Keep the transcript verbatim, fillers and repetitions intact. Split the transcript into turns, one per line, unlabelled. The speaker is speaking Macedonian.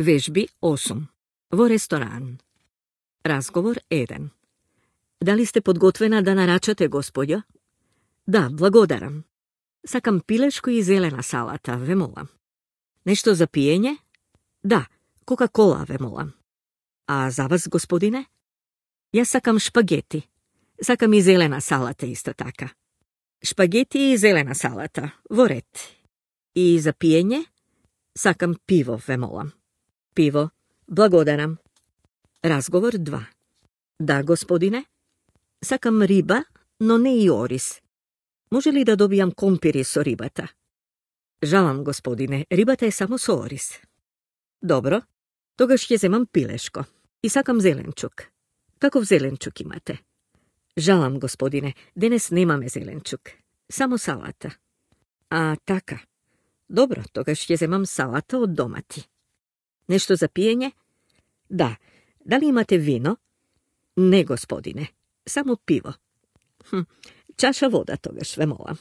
Вежби осум. Во ресторан. Разговор еден. Дали сте подготвена да нарачате, господја? Да, благодарам. Сакам пилешко и зелена салата, ве молам. Нешто за пиење? Да, кока-кола, ве молам. А за вас, господине? Јас сакам шпагети. Сакам и зелена салата исто така. Шпагети и зелена салата, во ред. И за пиење? Сакам пиво, ве молам. Пиво, благодарам. Разговор два. Да, господине? Сакам риба, но не и орис. Може ли да добијам компири со рибата? Жалам, господине, рибата е само со орис. Добро, тогаш ќе земам пилешко. И сакам зеленчук. Каков зеленчук имате? Жалам, господине, денес немаме зеленчук. Само салата. А, така. Добро, тогаш ќе земам салата од домати. Нешто за пиење? Да. Дали имате вино? Не, господине. Само пиво. Хм, чаша вода тогаш, ве молам.